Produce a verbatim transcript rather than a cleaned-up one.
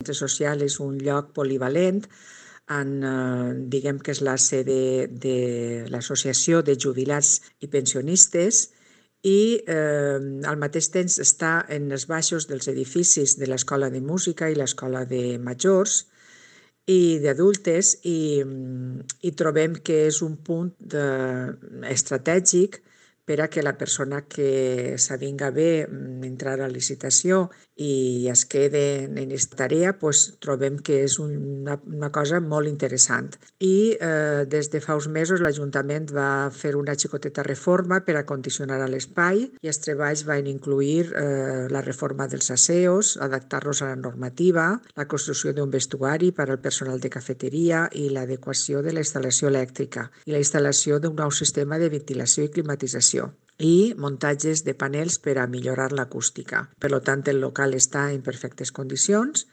centre social és un lloc polivalent, en, eh, diguem que és la sede de l'Associació de Jubilats i Pensionistes i eh, al mateix temps està en els baixos dels edificis de l'Escola de Música i l'Escola de Majors i d'adultes i, i trobem que és un punt de, estratègic per a que la persona que s'avinga bé entrar a licitació i es quede en aquesta tarea, pues, trobem que és una, una cosa molt interessant. I eh, des de fa uns mesos l'Ajuntament va fer una xicoteta reforma per a condicionar l'espai i els treballs van incluir eh, la reforma dels aseos, adaptar-los a la normativa, la construcció d'un vestuari per al personal de cafeteria i l'adequació de la instal·lació elèctrica i la instal·lació d'un nou sistema de ventilació i climatització i muntatges de panels per a millorar l'acústica. Per tant, el local està en perfectes condicions